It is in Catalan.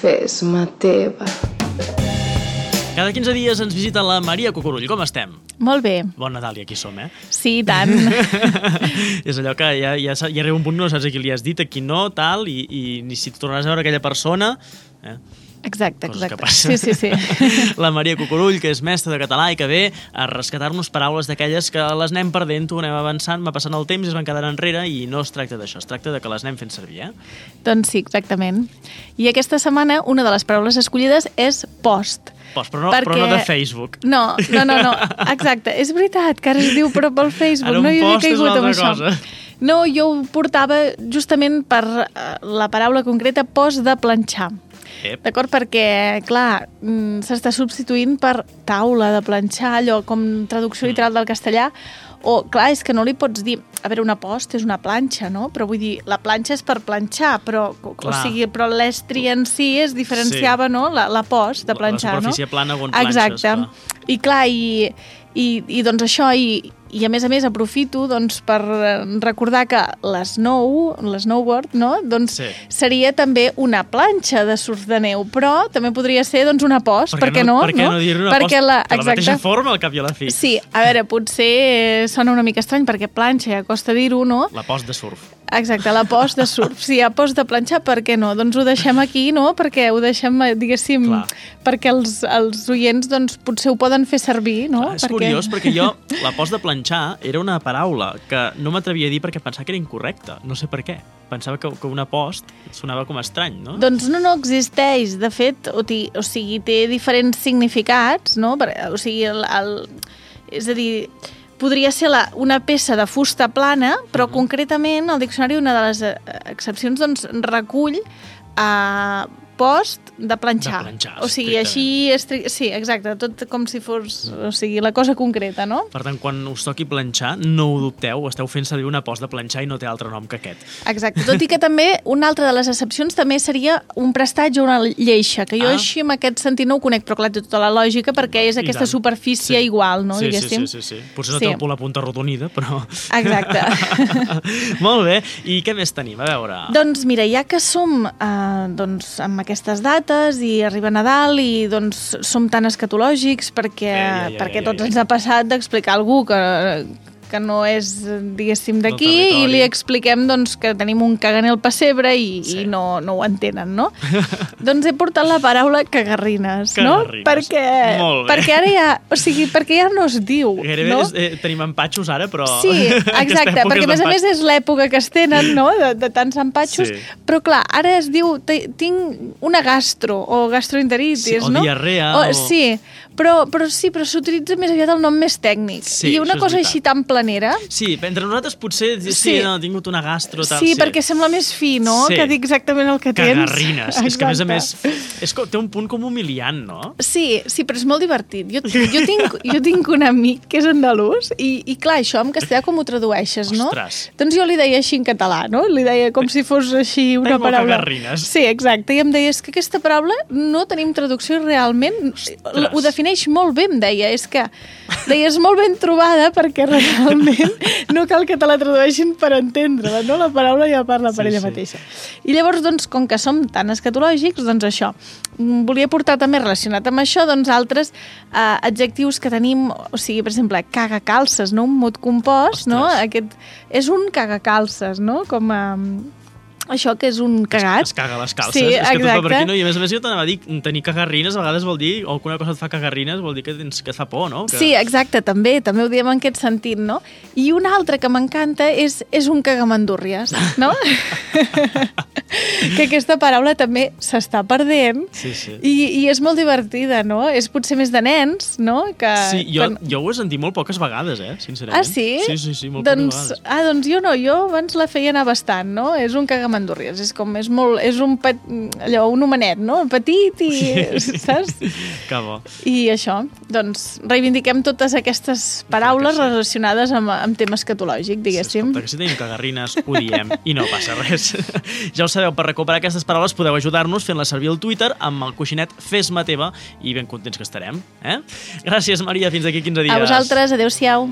Fes-me teva. Cada 15 dies ens visita la Maria Cucurull. Com estem? Molt bé. Bon Nadal, i aquí som, Sí, i tant. És allò que ja arriba un punt que no saps a qui li has dit, a qui no, tal, i ni si tornaràs a veure aquella persona... Exacte. Coses que passen. Sí. La Maria Cucurull, que és mestra de català i que ve a rescatar-nos paraules d'aquelles que les anem perdent, ho anem avançant, va passant el temps i es van quedar enrere, i no es tracta d'això, es tracta de que les anem fent servir, Doncs sí, exactament. I aquesta setmana una de les paraules escollides és post. Però no de Facebook. No, exacte. És veritat que ara es diu però pel Facebook. Ara un no hi havia post és caigut una amb altra això. cosa. No, jo ho portava justament per la paraula concreta post de planxar. D'acord? Perquè, clar, s'està substituint per taula de planxar, allò com traducció literal del castellà, o, clar, és que no li pots dir... A veure, una post és una planxa, no? Però vull dir, la planxa és per planxar, però l'estri en si es diferenciava, no? La post de planxar, no? La superfície plana on planxes. Exacte. I, clar, i doncs això, i a més aprofito doncs, per recordar que l'snowboard, no? Doncs seria també una planxa de surf de neu, però també podria ser doncs, una post, per què no? Per què no dir-ne una post de la mateixa forma al cap i a la fi? Sí, a veure, potser sona una mica estrany perquè planxa ja costa dir-ho, no? La post de surf. Exacte, la post de surf. Sí, a post de planxar, per què no? Doncs ho deixem aquí, no? Perquè ho deixem, diguéssim, perquè els oients doncs, potser ho poden fer servir, no? Clar, és curiós, perquè jo, la post de planxar era una paraula que no m'atrevia a dir perquè pensava que era incorrecta. No sé per què. Pensava que una post sonava com estrany, no? Doncs no existeix. De fet, o sigui, té diferents significats, no? O sigui, és a dir... Podria ser una peça de fusta plana, però concretament el diccionari, una de les excepcions, doncs, recull post de planxar. O sigui, així... Sí, exacte, tot com si fos la cosa concreta, no? Per tant, quan us toqui planxar, no ho dubteu, esteu fent servir una post de planxar i no té altre nom que aquest. Exacte, tot i que també una altra de les excepcions també seria un prestatge o una lleixa, que jo així en aquest sentit no ho conec, però clar, té tota la lògica perquè és aquesta superfície igual, no? Sí. Potser no té la punta arrodonida, però... Exacte. Molt bé, i què més tenim? A veure... Doncs mira, ja que som amb aquestes dates i arriba Nadal i doncs som tan escatològics perquè tots ens ha passat d'explicar a algú que no és, diguéssim, d'aquí i li expliquem doncs, que tenim un caganer al pessebre i no ho entenen, no? Doncs he portat la paraula cagarrines, no? Perquè ara ja... O sigui, perquè ja no es diu, no? Tenim empatxos ara, però... Sí, exacte, perquè a més és l'època que es tenen, no?, de tants empatxos, però clar, ara es diu tinc una gastro o gastroenteritis, no? O diarrea. Sí, però s'utilitza més aviat el nom més tècnic. I una cosa així tan planera... Sí, entre nosaltres potser he tingut una gastro... Sí, perquè sembla més fi, no?, que dir exactament el que tens. Cagarrines. És que, a més, té un punt com humiliant, no? Sí, però és molt divertit. Jo tinc un amic que és andalús i clar, això en castellà com ho tradueixes, no? Ostres. Doncs jo li deia així en català, no? Li deia com si fos així una paraula... Cagarrines. Sí, exacte. I em deia, és que aquesta paraula no tenim traducció realment... Ho defineix molt bé, em deia. És que és molt ben trobada perquè realment no cal que te la tradueixin per entendre-la, no? La paraula ja parla per ella mateixa. I llavors, doncs, com que som tan escatològics, doncs això. Volia portar també relacionat amb això, doncs, altres adjectius que tenim, o sigui, per exemple, cagacalces, no? Un mot compost, no? Aquest és un cagacalces, no? Com això que és un cagat. Es caga les calces. Sí, és que tot va per aquí, no? I a més jo t'anava a dir, tenir cagarrines a vegades vol dir, o alguna cosa et fa cagarrines vol dir que et fa por, no? Sí, exacte, també ho diem en aquest sentit, no? I una altra que m'encanta és un cagamandúrries, no? Que aquesta paraula també s'està perdent i és molt divertida, no? És potser més de nens, no? Sí, jo ho he sentit molt poques vegades, sincerament. Ah, sí? Sí, molt poques vegades. Doncs jo no, jo abans la feia anar bastant, no? És un cagamandúrries. És un homenet, no? Petit i... Saps? Que bo. I això, doncs, reivindiquem totes aquestes paraules relacionades amb tema escatològic, diguéssim. Escolta, que si tenim cagarrines ho diem i no passa res. Ja ho sabeu, per recuperar aquestes paraules podeu ajudar-nos fent-les servir al Twitter amb el coixinet Fes-me teva i ben contents que estarem. Gràcies, Maria, fins d'aquí 15 dies. A vosaltres, adeu-siau.